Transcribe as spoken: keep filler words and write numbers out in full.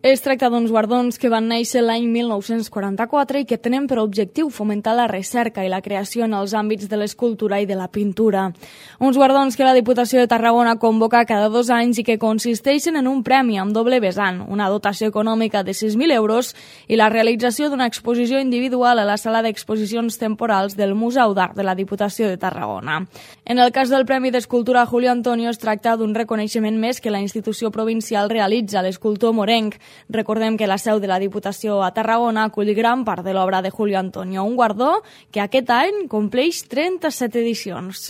Es tracta d'uns guardons que van néixer l'any mil nou-cents quaranta-quatre i que tenen per objectiu fomentar la recerca i la creació en els àmbits de l'escultura i de la pintura. Uns guardons que la Diputació de Tarragona convoca cada dos anys i que consisteixen en un premi amb doble vessant, una dotació econòmica de sis mil euros i la realització d'una exposició individual a la sala d'exposicions temporals del Museu d'Art de la Diputació de Tarragona. En el cas del Premi d'Escultura Julio Antonio es tracta d'un reconeixement més que la institució provincial realitza a l'escultor morenc. Recordem que la seu de la Diputació a Tarragona acull gran part de l'obra de Julio Antonio, un guardó que aquest any compleix trenta-set edicions.